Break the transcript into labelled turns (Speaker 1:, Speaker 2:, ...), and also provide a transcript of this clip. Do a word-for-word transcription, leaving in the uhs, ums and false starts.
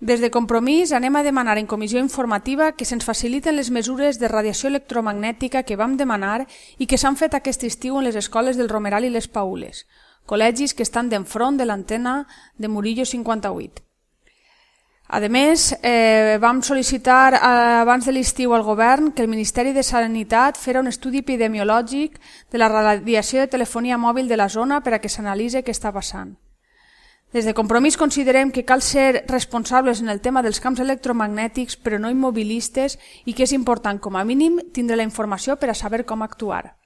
Speaker 1: Des de Compromís anem a demanar en comissió informativa que se'ns faciliten les mesures de radiació electromagnètica que vam demanar i que s'han fet aquest estiu en les escoles del Romeral i les Paules, col·legis que estan d'enfront de l'antena de Murillo cinquanta-vuit. A més, eh, vam sol·licitar eh, abans de l'estiu al govern que el Ministeri de Sanitat fera un estudi epidemiològic de la radiació de telefonia mòbil de la zona per a que s'analitzi què està passant. Des de Compromís considerem que cal ser responsables en el tema dels camps electromagnètics però no immobilistes i que és important com a mínim tindre la informació per a saber com actuar.